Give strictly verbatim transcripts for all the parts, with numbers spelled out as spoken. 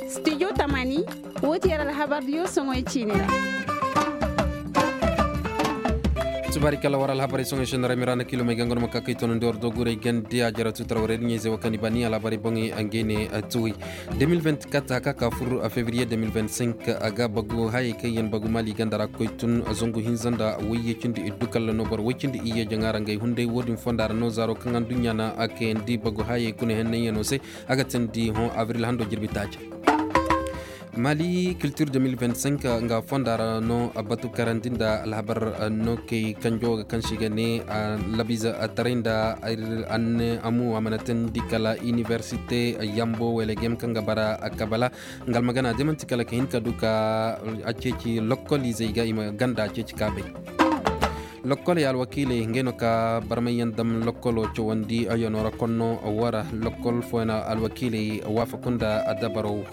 Stijo tamani, woo ti yer alhabardiyo soŋoy ciini ra. Subaari kala war alhabarey soŋoy senna ra miraana kilomey ganganuma ka kay tonandi war doguray gandi a jara tutar warey diɲey zey wakani bani alhabarey boŋey angey ne tuwey. Deux mille vingt-quatre haka ka fur fevriye deux mille vingt-cinq, a ga bagu hayey kaŋ yaŋ bagu maali ganda ra koy tun zangu hinza nda wayye cindi iddu kalla no boro way cindi iyye jaŋa ra ngey hunday wo- din fonda ra no zaaro kaŋ anduɲɲa na a kayandi bagu hayey kuna hennanyaŋo se. A ga tindi hõ abril hando jirbi taaca. Mali culture deux mille vingt-cinq nga fonda ra no batu karandi nda alhabar no kay kanjo ga kaŋ si ga ne labiza taray nda amu a mana tindi kala inibersite yambo welegem kaŋ ga bara kabala. Nga almagana de manti kala ka hin ka du ka a ceeci lokkolizey ga i ma ganda a ceeci ka bay. Lokkoley alwakiiley ngey no ka barmayyaŋ dam lokkolo cawandi ayano ra konno wara lokkol fooyaŋ alwakiiley waafaku nda adabaro.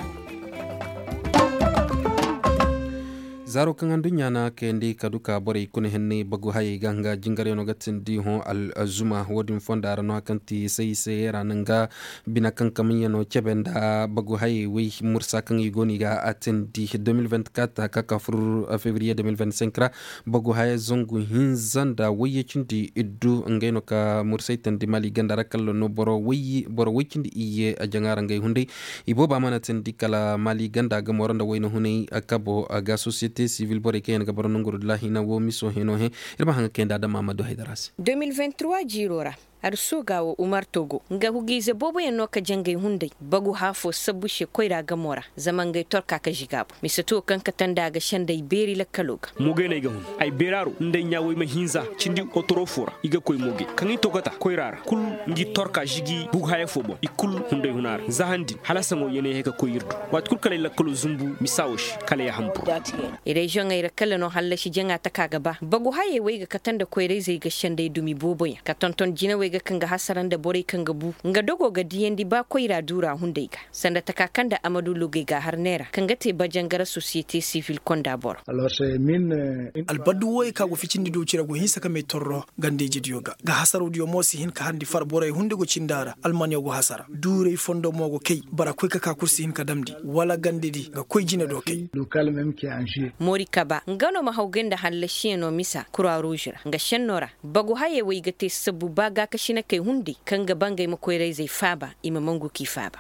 Zaaro kaŋ anduɲɲa na kayandi ka du ka borey kuna henney bagu hayey ga nga jingaryaŋo ga tindi hõ alzuma wo- din fonda ra no kaŋ ti say say ra na nga bine kaŋ kamayyaŋo cebe nda bagu hayey way mursa kaŋ i go no i ga a tindi deux mille vingt-quatre ka ka fur fevriye deux mille vingt-cinq ra. Bagu haya zangu hinza nda wayye cindi iddu ngey no ka mursay tandi mali ganda ra kalla no boro way cindi iyye a jaŋa ra ngey hunday. I booba mana tandi kala mali ganda ga moro nda wayna hunay kabo ga sociyete sivil borey kaŋ yaŋ ga bara nonguru da laahina wo miso heno he. Ir ma haŋ ga kayandi adama ma du haydara se. Deux mille vingt-trois jiiro ra. Arsooga wo umar togo nga hugiize booboyaŋ no ka jangay hunday bagu haafo sabbu se koyra gamo ra zama ngey torka ka ziga boŋ mise to kaŋ kate nda a ga senday beeri lakkalo ga. Moogay no ay ga hun ay beeraaro nda ay ɲaaway ma hinza cindi otoro fo ra i ga koy moogay kaŋ i togota koyra ra kul ngi torka zigi bugu haya fo boŋ i kul hunday huna ra za han din hala saŋo yeenay hay ka koy ir du. Waati kul kala ay lakkalo zumbu misa wo se kala ya hambur. Reziyoŋey ra kala no hallasi jaŋa taka ga ba bagu hayey wo ay ga kate nda koyra-izey ga senday dumi booboyaŋ ka tonton jinawey ga kaŋ ga hasara nda borey kaŋ ga bu nga dogo ga diyandi ba koyra duura hunday ga sanda taka kaŋ nda amadu lugey ga a har neera kaŋ ga te bajangara sosiyete sivil konda boro. Albaddu wooyey kaŋ a go ficindi doocira go hinsa ka may torro ganda-ijediyo ga ga hasarodiyo mo si hin ka harndi far borey hunday go cindi a ra almaniyo go hasara duuray fondo mo go kay bara koy ka ka kul si hin ka damndi wala gandedi ga koy jine do kay. Moori kaba nga no ma hawgay nda hallasiyaŋo misa kura ruuž ra nga senno ra bagu hayey wo i ga te sabbu ba gaakasinakey hunday kaŋ ga ba ngey ma koyra-izey faaba i ma mangu k'i faaba.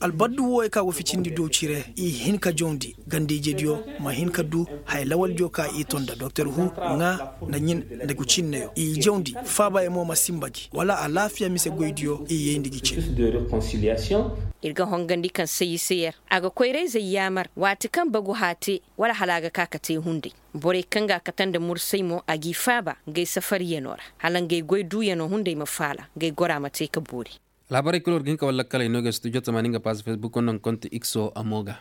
Albaddu wooyey kaŋ a go ficindi doocire i hin ka jawndi ganda-ijediyo ma hin ka du haya lawaldiyo kaŋ i ton nda doktor hu ŋaa nda ɲin nda gucinneyo i jawndi faabayaŋ mo ma sinba gi wala alaafiya mise goydiyo i yayndi gi cin. Ir ga hongandi kaŋ sayi se yer a ga koyra-izey yaamar waati kaŋ bagu haya te wala hala a ga ka ka te hunday. Borey kaŋ ga a kate nda mursay mo a g'i faaba ngey safariyano ra hala ngey goy duuyano hunday ma faala ngey gora ma te ka boori. Alhabarey kul war ga hin ka war lakkaley no ga studio tamaani nga paas facebook no nga konti ikso a mo ga.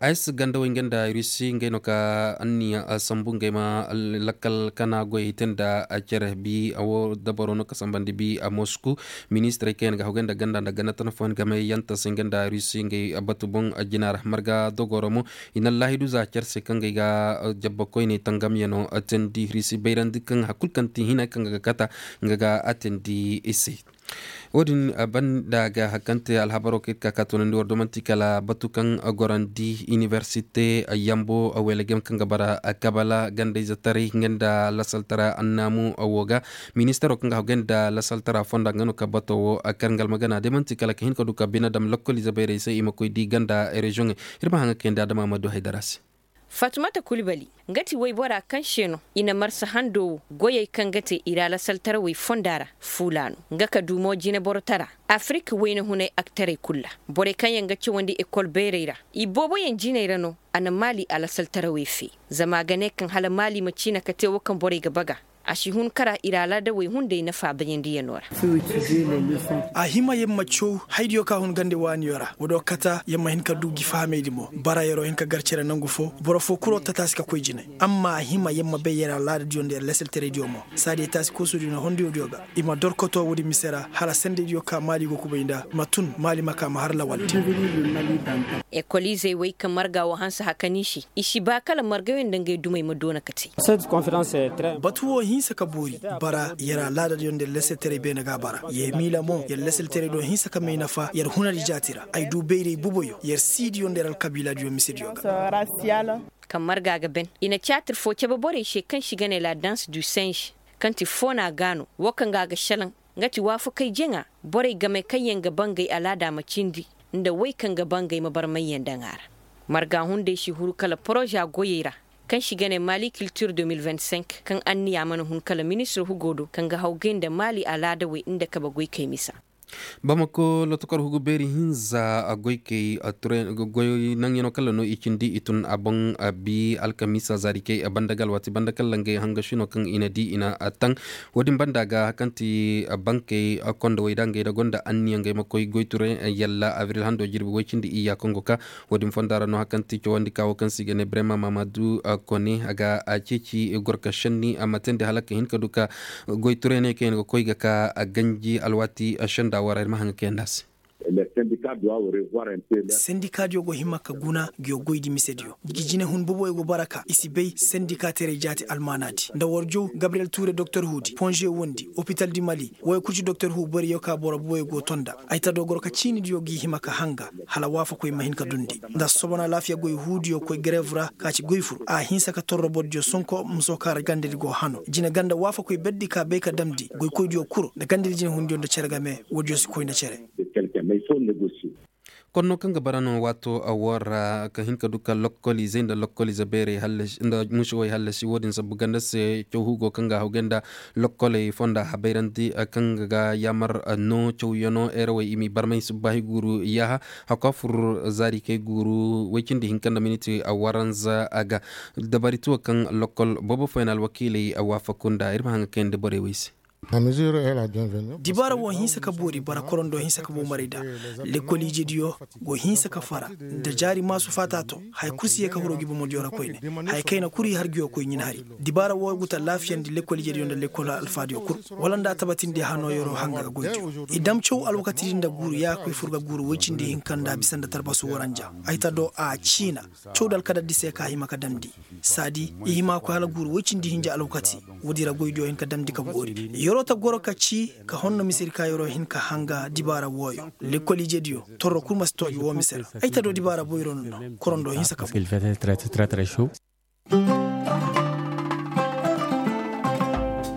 Ayes gandawey nga nda rusi ngey no ka anniya sambu ngey ma lakkal kana goyey te nda cere bi a wo dabaro no ka sambandi bi a mosku. Ministirey kaŋ yaŋ ga hawgay nda ganda nda ganda tana fooyaŋ game yanta se nga nda rusi ngey batu boŋ jina ra marga dogoro mo. I na allaahidu za cer se kaŋ ga ay ga jabba koyney tangamyano teendi risi bayrandi kaŋ hari kulu kaŋ ti hina kaŋ ga kata nga ga a teendi i se. Wo-din banda ga hari kaŋ te alhabaro kaŋ ir ka ka toonandi war do man'ti kala batu kaŋ gorandi inibersite yambo welegem kaŋ ga bara kabala gandayze taray nga nda lasaltara annaamu wo ga. Ministaro kaŋ ga hawgay nda lasaltara fonda nga no ka bato wo kar nga almagana day man'ti kala ka hin ka du ka bine dam lokkoliize bayray se i ma koy di ganda reziyoŋey. Ir ma haŋ ga kayandi adama ma du haydara se. Fatumata kulbali nga ti woybora kaŋ se no i na marsa hando wo goyey kaŋ ga te i ra lasaltarawey fonda ra fuula no nga ka du mo jineborotara. Afirik wayna hunay aktarey kulu ra borey kaŋ yaŋ ga cawandi ekol bayray ra i booboyaŋ jiney ra no. A na maali a lasaltarawey fe zama a ga ne kaŋ hala maali ma ciina ka te wo kaŋ borey ga baga. A si hun kara ir alaadawey hunday nafa bayandiyano ra. A hima yer ma caw haydiyo ka hun gande waaniyo ra wo do kata yer ma hin ka du gi fahamaydi mo bara yeroo hin ka gar cere nangu fo boro fo kuro tataasi ka koy jinay. Amma a hima yer ma bay yer alaadadiyo nda yer lasaltaraydiyo mo saadiya taasi koosodiyo nda hondiyodiyo ga i ma dorkoto woodi mise ra hala sendaydiyo ka maali go kubay nda ma tun maali ma ka ma har lawaldi. Ekoliizey wey ka marga wo hanse hakani se i si ba kala margayo nda ngey dumey ma doona ka te. Batu wo. Hinsa ka boori bara yer alaadadiyo nda yer lasaltaray beene ga a bara. Yer miila mo yer lasaltaray do hinsa ka may nafa yer hunadi jaati ra. Ay du bayray boboyo yer siidiyo nda yer alkabiiladiyo misediyo ga. Kaŋ marga ga ben i na tiyaatir foo cebe borey se kaŋ se i ga ne la danse du singe, kaŋ ti foona gaano woo kaŋ ga a ga šelaŋ. Nga ti waafakey jaŋa borey game kaŋyaŋ ga bangey alaada ma cindi nda wey kaŋ ga bangey ma barmayyaŋ daŋ a ra. Marga hunday si huru kala poroza goyey ra kaŋ se i ga ne mali kiltir de mil vingt cinq kaŋ anniya mana hun kala ministir hugo do kaŋ ga hawgay nda mali alaadawey nda kabe goykey misa. Bamako lotokor hugu beeri hinza goykey nanyanoo kala no i cindi i tun a boŋ. Bi alkamiisa zaarikey banda ga alwaati banda kala ngey hangašinoo kaŋ i na di i na taŋ. Wo-din banda ga kaŋ ti bankey kondowey da ngey da gonda anniya ngey ma koy goyture yalla abril hando jirbi woy cindi iyya kaŋ go ka. Wo-din fonda ra no hari kaŋ ti cawandi ka wo kaŋ se i ga ne brema mamadu kone a ga ceeci gorka šenni a ma teendi hala ka hin ka du ka goy tureeney kaŋ yaŋ ga koy ga ka ganji alwaati. Senda wara ir ma haŋ ga kayandi a se. Sendikaadiyo go hima ka guna nguyo goydi misediyo. Ngi jinehun boboyo go bara ka i si bay sendikaataray jaati almaanaadi nda warjow gabriyel tuure doktor huudi ponže wondi opital di mali. Woy kul ci doktor huu boriyo ka boro buwey go tonda ay ta dogoro ka ciinidiyo g'i hima ka hanga hala waafakoy ma hin ka dundi. Nda sobona laafiya goy huudiyo koy gareev ra ka ci goy fur a hinsa ka torro bordiyo sonko muso ka ra gandedi go hano jine ganda waafakoy berdi ka bay ka damndi goykoydiyo kul nda gandedi jinehundiyo nda cere game. Woodiyo si koy nda cere. Konno kaŋ ga bara no waato a woo ra ka hin ka du ka lokkoliizey nda lokkoliize beerey nda mušewey hallasi wo-din sabbu ganda se caw hugo kaŋ ga a hawgay nda lokkoley fonda habayrandi kaŋ ga yaamar no cawyanoo erawey i m'i barmay subbaahi guuru yaaha. Hakku a fur zaarikey guuru woy cindi hinka nda miniti waranza a ga dabari tuwo kaŋ lokkol boobo fooyaŋ alwakiiley waafaku nda ir ma haŋ ga kayandi borey wey se. Dibaara woo hinsa ka boori bara korondo hinsa ka boomaray nda lekkol ijediyo go hinsa ka fara nda jaari maasu faataato haya kul si ye ka huru ngi bomodiyo ra koyne. Haya kayna kul i har nguyo koy ɲin hari. Dibaara woo go ta laafiyandi lekkol ijediyo nda lekkol alfaadiyo kul wala nda a tabatindi hanoo yeroo hanga ga goydiyo i dam caw alwakatidi nda guuru yaakoy fur ga guuru woy cindi hinka nda bisa nda tarbasu waranja. Ay ta do a ciina cawdi alkadaddi se ka hima ka damndi saadi i hima koy hala guuru woy cindi hinja alwakati. Woodi ra goydiyo hin ka damndi ka boori yeroo ta goro ka ci ka honno misedi ka yeroo hin ka hanga dibaara wooyo lekkol ijediyo torro kul ma si tooji woo mise ra. Ay ta do dibaara boyro no no korondo hinsa ka boori.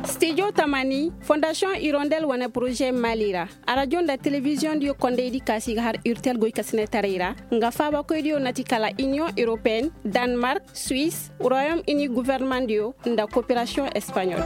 Stijo tamani fondasiyoŋ irondel wane poroze mali ra. Arajo nda telebiziyoŋdiyo kondaydi ka si ga har urtel goykasinetaray ra nga faabakoydiyo na ti kala iniyoŋ europeen, danmark, suwis, royom ini gofornemandiyo nda koperasiyoŋ espaɲol.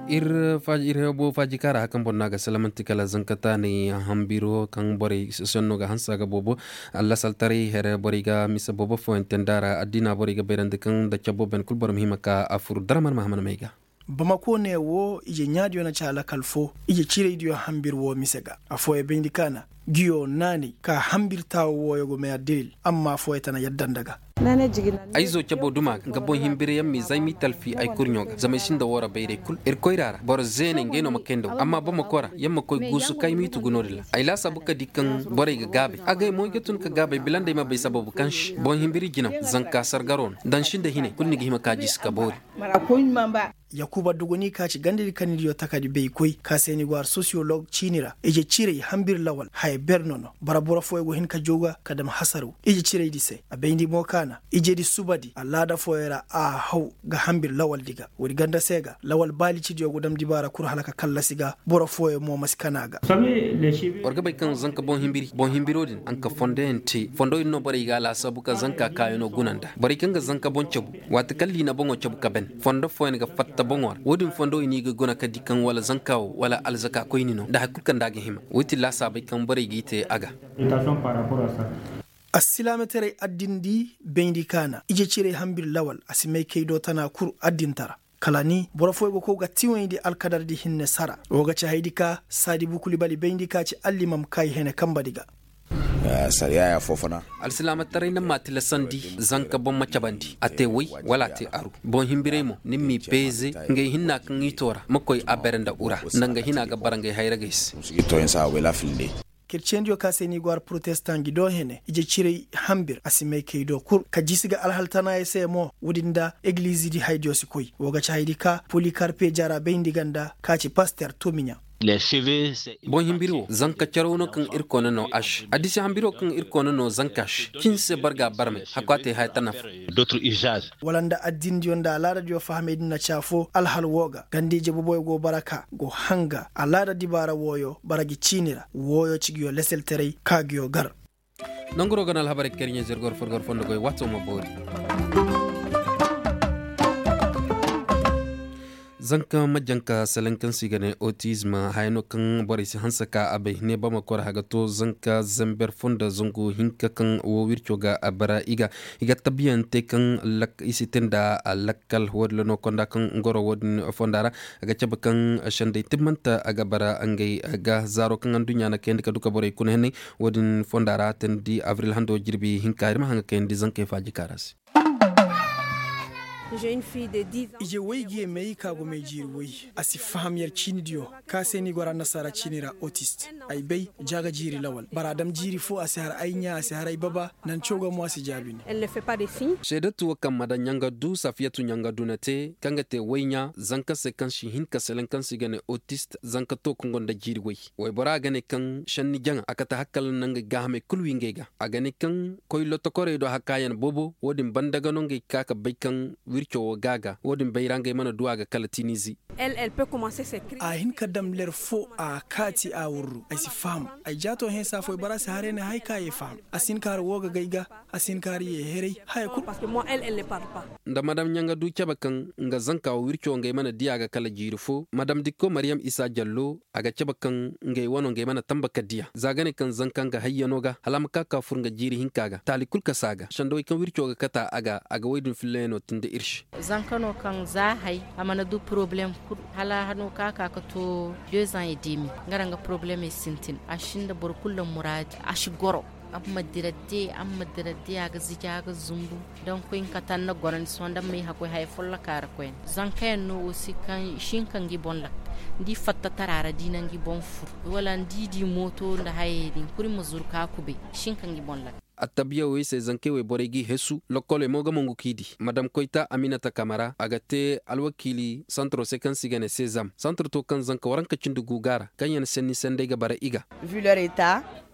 Ir hebo faaji kaŋ ra hari kaŋ boro no a ga salamanti kala zankataanay hanbiro kaŋ borey senno ga hanse a ga boobo. Allasaltaray here borey ga mise boobo fooyaŋ te nda a ra addiina borey ga bayrandi kaŋ nda cabo ben kul boro ma hima ka a fur daraman mahaman may ga. Bamako ne wo ije ɲaadiyo na ci alakal fo ije ciraydiyo hanbir wo mise ga. Affooyo bayndi ka na nguyo naanay ka hanbir taawo wooyo go may addalil amma affooyo tana yadda nda ga. Ay zo cabo duma ga nga boŋ hinbirayaŋ m'i zay m'i talfi ay kurɲo ga zama ay sinda woo ra bayray kul ir koyra ra boro zeeney ngey no ma kay nda woo amma bamako ra yer ma koy guusu ka ay m'i tugu no-din ra. Ay laasaabu ka di kaŋ borey ga gaabay agay mo ay ga tun ka gaabay bila nda ay ma bay sababu kaŋ se boŋ hinbiri jinaw zanka sargaroo no da ni sinda hinay kul ni ga hima ka jiisi ka boori. Yakuba dogoni ka ci gandadi kannidiyo takadi baykoy ka se ni go har sosiyolog ciini ra ije ciray hanbir lawal haya ber no no bara boro fooyo go hin ka jaw ga ka dam hasaru ije ciraydi se a bayndi mo ka na ijedi subadi alaada fooyo ra a haw ga hanbir lawaldi ga woodi ganda se ga lawal baalicidiyo go dam dibaara kul hala ka kallasi ga boro fooyo mo ma si kana ga. War ga bay kaŋ zanka boŋ hinbiri boŋ hinbiro din a nka fondoyaŋ te fondo din no borey ga a laasaabu ka zanka kaayano guna nda borey kaŋ ga zanka boŋ cabu waati kaŋ liina boŋo cabu ka ben fondo fooyaŋ ga fatta boŋo ra wo-din fondo i n'i ga guna ka di kaŋ wala zanka wo wala alzaka koyni no nda hari kulu kaŋ nda a ga hima wo-din ti laasaabey kaŋ borey g'i te a ga. Assilaamataray addindi bayndi kaana ije ciray hanbir lawal a si may kay do tana kul addintara. Kala ni boro fooyo go kow ga tiwayndi alkadardi hinne sara wo ga ci haydi ka saadi bukulibali bayndi ka ci allimam kaayi hene kambadi ga. Alsilaamataray na ma tilasandi zanka boŋ ma cabandi a te way wala a te aru boŋ hinbiray mo ni m'i peeze ngey hinna kaŋ i to ra ma koy a bere nda ura nda nga hina ga bara ngey hayragey se. Kerciyendiyo ka se ni go har protestan gi do hene ije ciray hambir a si may kay do kul ka jisi ga alhal tanaayey se mo woodin nda egilizi di haydiyo si koy woo ga ci haydi ka polikarpe jara bayndi ga nda ka ci paster tomiɲa. Boŋ himbiri wo zanka caraw no kaŋ irkoy na no aš. Addisi hambiri wo kaŋ irkoy na no zanka aš cin se barga barmay hakwaatey haya ta nafa. Wala nda addindiyo nda alaadadiyo fahamey din na ci afo alhal woo ga ganda ije boboyo go bara ka go hanga alaada dibaara wooyo bara gi ciini ra wooyo ci nguyo leseltaray ka nguyo gar. Nanguroo ga no alhabarey kaŋ ir ɲaa zirgor furgor fondo goy waato ma boori. Zanka majjanka selaŋ kaŋ se i ga ne otizm haya no kaŋ borey si hanse ka a bay ne ba ma kor haga to zanka zamber fondo zangu hinka kaŋ woo wirco ga a bara i ga i ga tabbiyante kaŋ i si te nda lakkal woodin ra no konda kaŋ ngoro woodin fonda ra. A ga cabe kaŋ sendey timmante a ga bara ngey ga zaaro kaŋ adduɲɲa na kayandi ka du ka borey kuna henney. Woodin fonda ra teendi abril hando jirbi hinka ir ma haŋ ga kayandi zankey faaji kaara se. Ije woy ga ye may ka go may jiiri woy a si faham yer ciinidiyo ka se ni go ra annasaara ciini ra otist. Ay bay ja ga jiiri lawal bara dam jiiri fo a si har ay ɲaa a si har ay baba. Nanco ga mo a si jaabi ni. Seedatu wo kaŋ mada ɲangadu safiyatu ɲangadu na te kaŋ ga te woy ɲaa zanka se kaŋ si hin ka selaŋ kaŋ se i ga ne otist zanka to kaŋ gonda jiiri woy. Woyboraa ga ne kaŋ šenni jaŋa a kate hakkal na ngey gaahamey kul wi ngey ga. A ga ne kaŋ koy lotokorey do hakaayan boobo woodin banda ga no ngey ka ka bay kaŋ wirco wo gaaga woodin bayra ngey mana du a ga kala tinizi. A hin ka dam ler fo a kaati a wurru ay si faham. Ay jaato hẽesa foy bara si haray ne hay ka ye faham. A si hin ka har woo ga gay ga a si hin ka har ye heray haya kul. Nda madam ɲaŋadu cabe kaŋ nga zanka wo wirco ngey mana diya ga kala jiiri fo madam dikko mariyam isa jallo. A ga cabe kaŋ ngey wano ngey mana tamba ka diya za ga ne kaŋ zanka nga hayyano ga hala a ma ka ka fur nga jiiri hinka ga taali kul kasa ga sendawey kaŋ wirco ga kata a ga a ga woy din fillayano tindi ir se. Zanka no kaŋ za hay a mana du poroblem kul hala hano ka ka ka to dezan e demi. Nga ra nga poroblem e sintin a si nda boro kul nda muraadi a si goro. A ma dira de a ma dira de a ga zija a ga zumbu. Donk koy nka tan na gorandi sohõ nda may hakoy haya folloka ra koyne zankayaŋ no wo si kaŋ i si hin ka ngi boŋ lakka. Nda i fatta tara ra da i na ngi boŋ fur wala nda i di mooto nda hayey din kuri ma zuru ka kubay i si hin ka ngi boŋ lakka. Attabiya wey se zankey wey borey g'i hesu lokkoley mo ga mongu k'i di madam koyta aminata kamara a ga te alwakiili santoro se kaŋ se i ga ne sezam santoro to kaŋ zanka waranka cindi gu ga a ra kaŋ yaŋ senni sendey ga bara i ga.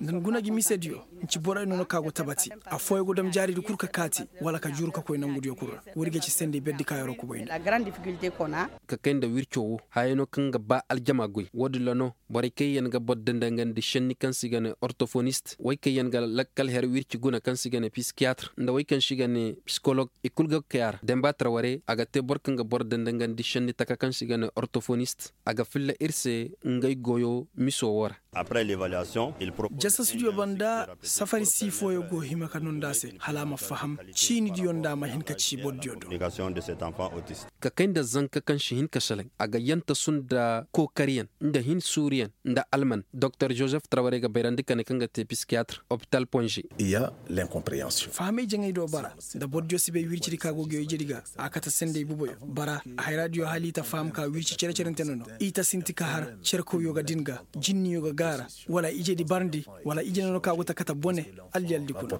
Nda ni guna gi misediyo. Nci borey no no ka go tabati. Affooyaŋ go dam jaaridi kul ka kaati wala ka juru ka koy nangudiyo kul ra. Woodi ga ci sendey berdi kaayaro kubay no. Ka kay nda wirco wo hayey no kaŋ ga ba aljama goy woodin ra no. Borey kaŋ yaŋ ga boro dandangandi senni kaŋ se i ga ne ortofonist wey kaŋ yaŋ ga lakkal her wirci guna kaŋ se i ga ne piskiyatr nda wey kaŋ se i ga ne psikolog i kul ga kay a ra demba tara ware a ga te boro kaŋ ga boro dandangandi senni taka kaŋ se i ga ne ortofonist. A ga filla ir se ngey goyo miso wo ra. Jasasudiyo banda safari sii fooyaŋ go hima ka nonda se hala a ma faham ciinidiyo nda a ma hin ka ci bordiyo do. Ka kay nda zanka kaŋ si hin ka selaŋ a ga yantasu nda kookariyaŋ nda hin suuriyaŋ nda alman doktor joseph traware ga bayrandi ka ne kaŋ ga te piskiyatr opital ponze. Fahamay jaŋay do bara nda bordiyo si bay wircidi ka go ga ijedi ga a kate sendey boboyo bara. Hayraadiyo hala i ta faham ka wirci cere-cerente no no i ta sinti ka har cerkawyo ga din ga jinniyo ga gaara wala ijedi barndi wala ije no no ka go ta kate bone. Alliyaldi kuna.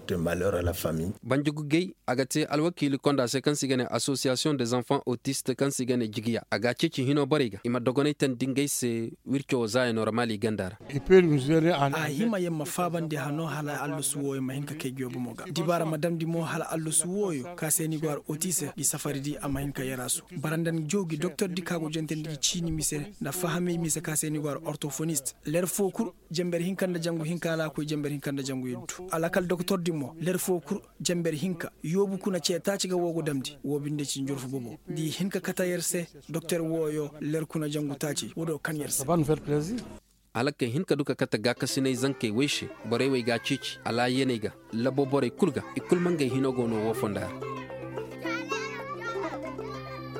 Banjugugey a ga te alwakiili konda se kaŋ se i ga ne association des enfants autistes kaŋ se i ga ne jigiya a ga a ceeci hino borey ga i ma dogonay tandi ngey se. Wirco wo za ya normal i ganda ra. A hima yer ma faabandi hano hala allasu wooyo ma hin ka kay guyo bomo ga dibaara ma damndi mo hala allasu wooyo ka se ni go har otise gi safari di a ma hin ka yer a su. Bara nda ni joogi doktor di ka go jentandi gi ciini mise nda fahamey mise ka se ni go har ortofonist ler foo kul. Jember hinka nda jangu hinka alaakoy jember hinka nda jangu yeddu alakal doktor di mo ler foo kul. Jember hinka yoobu kuna ce taaci ga woo go damndi woo binde ci njurfu bobo. Di hin ka kate yer se doktor wooyo ler kuna jangu taaci woo do kan yer se. Hala kay hin ka du ka kate gaakasinay zankey wey se borey wey ga a ceeci alaayaney ga labo borey kul ga i kul ma ngey hino go no woo fonda ra.